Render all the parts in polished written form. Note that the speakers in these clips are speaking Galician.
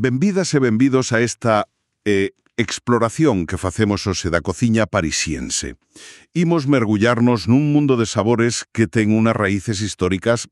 Benvidas e benvidos a esta exploración que facemos hoxe da cociña parisiense. Imos mergullarnos nun mundo de sabores que ten unas raíces históricas,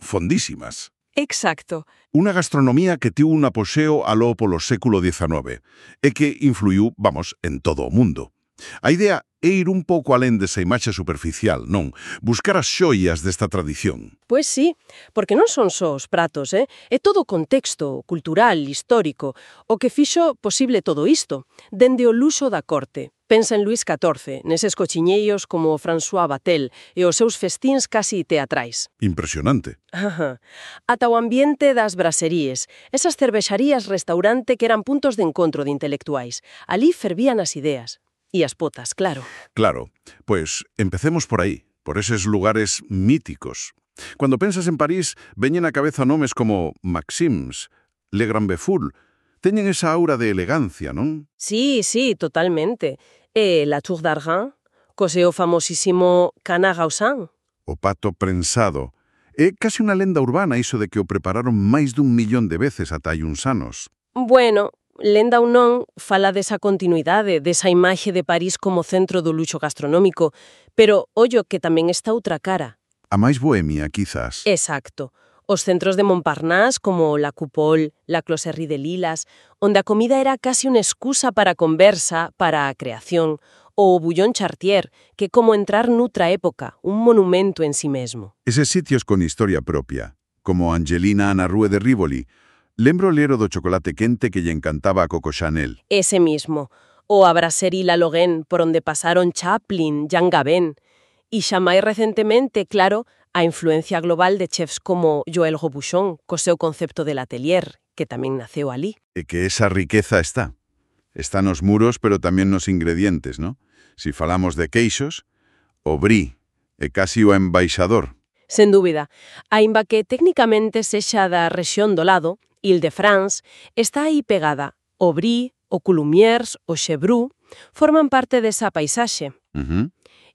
fondísimas. Exacto. Unha gastronomía que tivo un apoxeo aló polo século XIX e que influiu, en todo o mundo. A idea é ir un pouco alén desa imaxe superficial, non? Buscar as xoias desta tradición. Pois sí, porque non son só os pratos, É todo o contexto cultural, histórico, o que fixo posible todo isto, dende o luxo da corte. Pensa en Luís XIV, neses cochiñeiros como François Vatel e os seus festíns casi teatrais. Impresionante. Ata o ambiente das braseríes, esas cervexarías-restaurante que eran puntos de encontro de intelectuais. Ali fervían as ideas. E as potas, claro. Claro, pois empecemos por aí, por eses lugares míticos. Cando pensas en París, veñen á cabeza nomes como Maxims, Le Grand Beful. Teñen esa aura de elegancia, non? Sí, totalmente. E la Tour d'Argent, co seu famosísimo Canard Gausan. O pato prensado. É casi unha lenda urbana iso de que o prepararon máis dun millón de veces ata hai uns anos. Bueno, lenda ou non, fala desa continuidade, desa imaxe de París como centro do luxo gastronómico, pero ollo que tamén está outra cara. A máis bohemia, quizás. Exacto. Os centros de Montparnasse como la Coupole, la Closerie de Lilas, onde a comida era casi unha excusa para a conversa, para a creación, ou o Bouillon Chartier, que como entrar noutra época, un monumento en sí mesmo. Eses sitios con historia propia, como Angelina na Rue de Rivoli. Lembro ler o do chocolate quente que lle encantaba a Coco Chanel. Ese mismo. O a Brasserie La Lorraine, por onde pasaron Chaplin, Jean Gabin. E xa máis recentemente, claro, a influencia global de chefs como Joël Robuchon, co seu concepto del atelier, que tamén naceu ali. E que esa riqueza está. Está nos muros, pero tamén nos ingredientes, ¿no? Si falamos de queixos, o brie é casi o embaixador. Sen dúbida. Aínda que técnicamente sexa da rexión do lado, Île-de-France, está aí pegada. O brie, o coulumiers, o chevrou, forman parte desa paisaxe.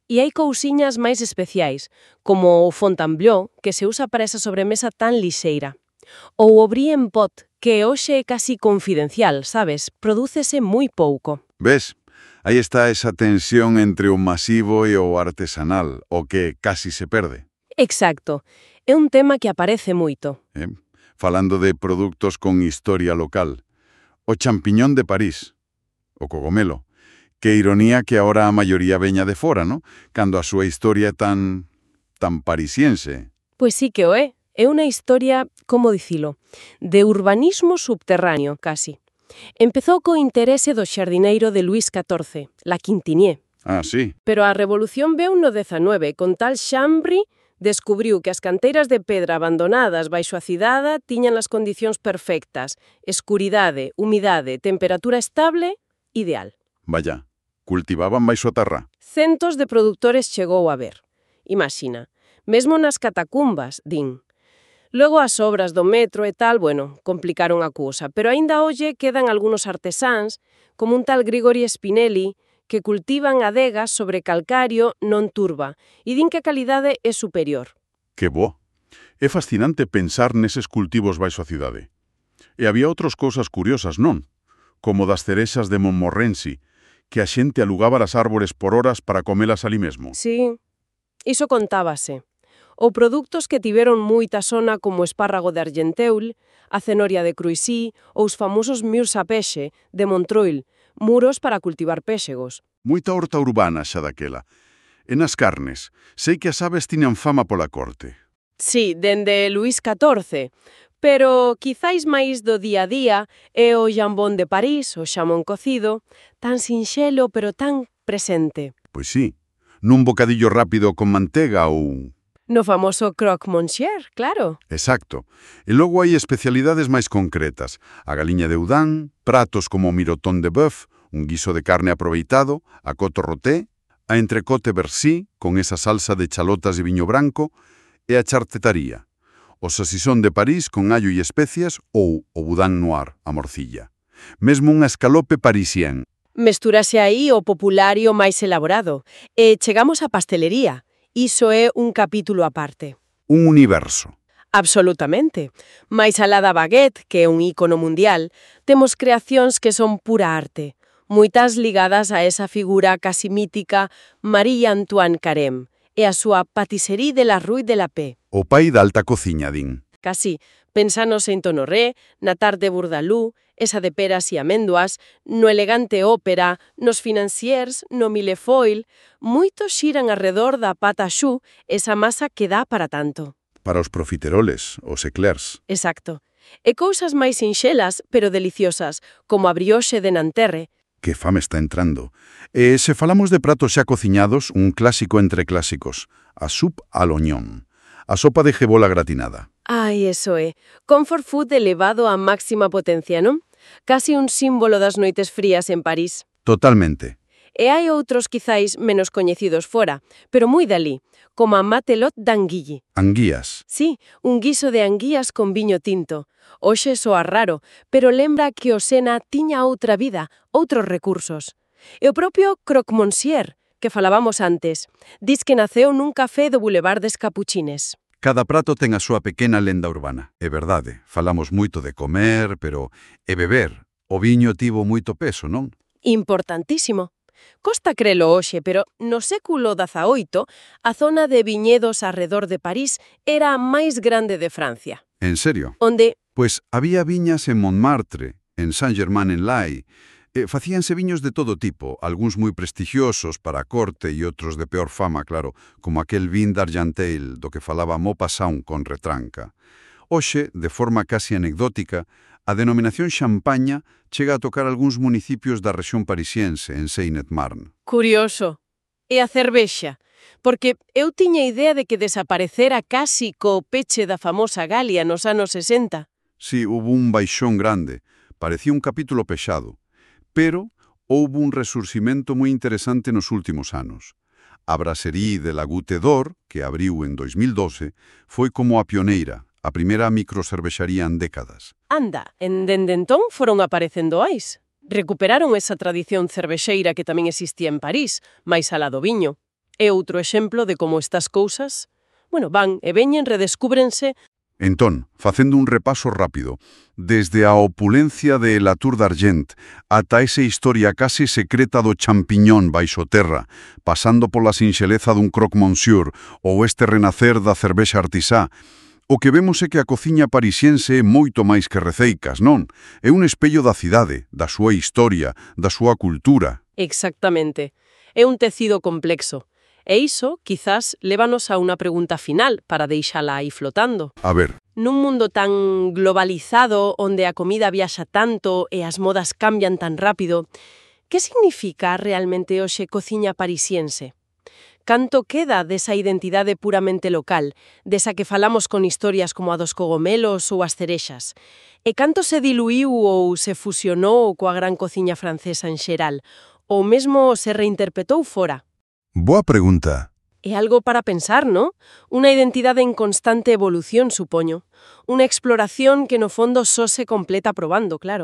E hai cousiñas máis especiais, como o Fontainebleau, que se usa para esa sobremesa tan lixeira. Ou o brie en pot, que hoxe é casi confidencial, sabes? Prodúcese moi pouco. Ves? Aí está esa tensión entre o masivo e o artesanal, o que casi se perde. Exacto. É un tema que aparece moito. Falando de produtos con historia local. O champiñón de París, o cogomelo. Que ironía que ahora a maioría veña de fora, ¿no? Cando a súa historia é tan parisiense. Pois sí que o é. É unha historia, como dicilo, de urbanismo subterráneo, casi. Empezou co interese do xardineiro de Luís XIV, La Quintinier. Ah, sí. Pero a revolución veu no 19, con tal Chambry descubriu que as canteiras de pedra abandonadas baixo a cidade tiñan as condicións perfectas, escuridade, humidade, temperatura estable, ideal. Vaya, cultivaban baixo a terra. Centos de produtores chegou a ver. Imagina, mesmo nas catacumbas, din. Logo as obras do metro e tal, complicaron a cousa, pero aínda hoxe quedan algúns artesáns, como un tal Grigori Spinelli, que cultivan adegas sobre calcario non turba e din que a calidade é superior. Que bo! É fascinante pensar neses cultivos baixo a cidade. E había outras cousas curiosas, non? Como das cerexas de Montmorency, que a xente alugaba as árbores por horas para comelas ali mesmo. Sí, iso contábase. Ou produtos que tiveron moita sona como o espárrago de Argenteuil, a cenoria de Cruisy ou os famosos murs à peixe de Montreuil, muros para cultivar péxegos. Moita horta urbana xa daquela. E nas carnes, sei que as aves tiñan fama pola corte. Sí, dende Luís XIV, pero quizáis máis do día a día é o jambón de París, o xamón cocido, tan sinxelo pero tan presente. Pois sí, nun bocadillo rápido con mantega ou... No famoso croque-monsieur, claro. Exacto. E logo hai especialidades máis concretas. A galiña de Udán, pratos como o mirotón de bœuf, un guiso de carne aproveitado, a coto roté, a entrecote bercy, con esa salsa de chalotas e viño branco, e a chartetaría, o sasisón de París con allo e especias ou o boudin noir, a morcilla. Mesmo un escalope parisien. Mestúrase aí o popular e o máis elaborado. E chegamos á pastelería. Iso é un capítulo aparte. Un universo. Absolutamente. Mais alá da baguette, que é un ícono mundial, temos creacións que son pura arte, moitas ligadas a esa figura casi mítica Marie Antoine Carême e a súa Patisserie de la Rue de la Paix. O pai da alta cociña, din. Casi, pensa no Saint-Honoré, na Tarte de Bourdaloue, esa de peras e améndoas, no elegante ópera, nos financiers, no Millefoil, moitos xiran arredor da pata choux, esa masa que dá para tanto. Para os profiteroles, os eclairs. Exacto. E cousas máis sinxelas, pero deliciosas, como a brioche de Nanterre. Que fame está entrando. E se falamos de pratos xa cociñados, un clásico entre clásicos, a soupe à l'oignon, a sopa de jebola gratinada. Ai, eso é. Comfort food elevado a máxima potencia, non? Casi un símbolo das noites frías en París. Totalmente. E hai outros quizáis menos coñecidos fora, pero moi dalí, como a matelote d'anguille. Anguías. Sí, un guiso de anguías con viño tinto. Oxe soa raro, pero lembra que o Sena tiña outra vida, outros recursos. E o propio croque monsieur, que falábamos antes, dis que naceu nun café do Boulevard des Capuchines. Cada prato ten a súa pequena lenda urbana. É verdade, falamos moito de comer, pero e beber. O viño tivo moito peso, non? Importantísimo. Costa crelo hoxe, pero no século XVIII a zona de viñedos arredor de París era a máis grande de Francia. En serio? Onde, Pues había viñas en Montmartre, en Saint-Germain-en-Laye. Facíanse viños de todo tipo, algúns moi prestixiosos para a corte e outros de peor fama, claro, como aquel vin d'Argenteuil do que falaba Maupassant con retranca. Hoxe, de forma casi anecdótica, a denominación Champaña chega a tocar algúns municipios da rexión parisiense, en Seine-et-Marne. curioso, e a cervexa, porque eu tiña idea de que desaparecera casi co peche da famosa Galia nos anos 60. Sí, hubo un baixón grande, parecía un capítulo pexado, pero houbo un resurximento moi interesante nos últimos anos. A Brasserie de la Goutte d'Or, que abriu en 2012, foi como a pioneira, a primeira microcervexaría en décadas. Anda, dende entón foron aparecendo ais. Recuperaron esa tradición cervexeira que tamén existía en París, máis alá do viño. É outro exemplo de como estas cousas, van e veñen, redescúbrense. Entón, facendo un repaso rápido, desde a opulencia de La Tour d'Argent ata esa historia casi secreta do champiñón baixo terra, pasando pola sinxeleza dun croque monsieur ou este renacer da cervexa artisá, o que vemos é que a cociña parisiense é moito máis que receicas, non? É un espello da cidade, da súa historia, da súa cultura. Exactamente. É un tecido complexo. E iso, quizás, lévanos a unha pregunta final para deixala aí flotando. A ver. Nun mundo tan globalizado, onde a comida viaxa tanto e as modas cambian tan rápido, que significa realmente hoxe cociña parisiense? Canto queda desa identidade puramente local, desa que falamos con historias como a dos cogomelos ou as cerexas? E canto se diluíu ou se fusionou coa gran cociña francesa en xeral? Ou mesmo se reinterpretou fora? Boa pregunta. É algo para pensar, ¿no? Unha identidade en constante evolución, supoño. Unha exploración que no fondo só se completa probando, claro.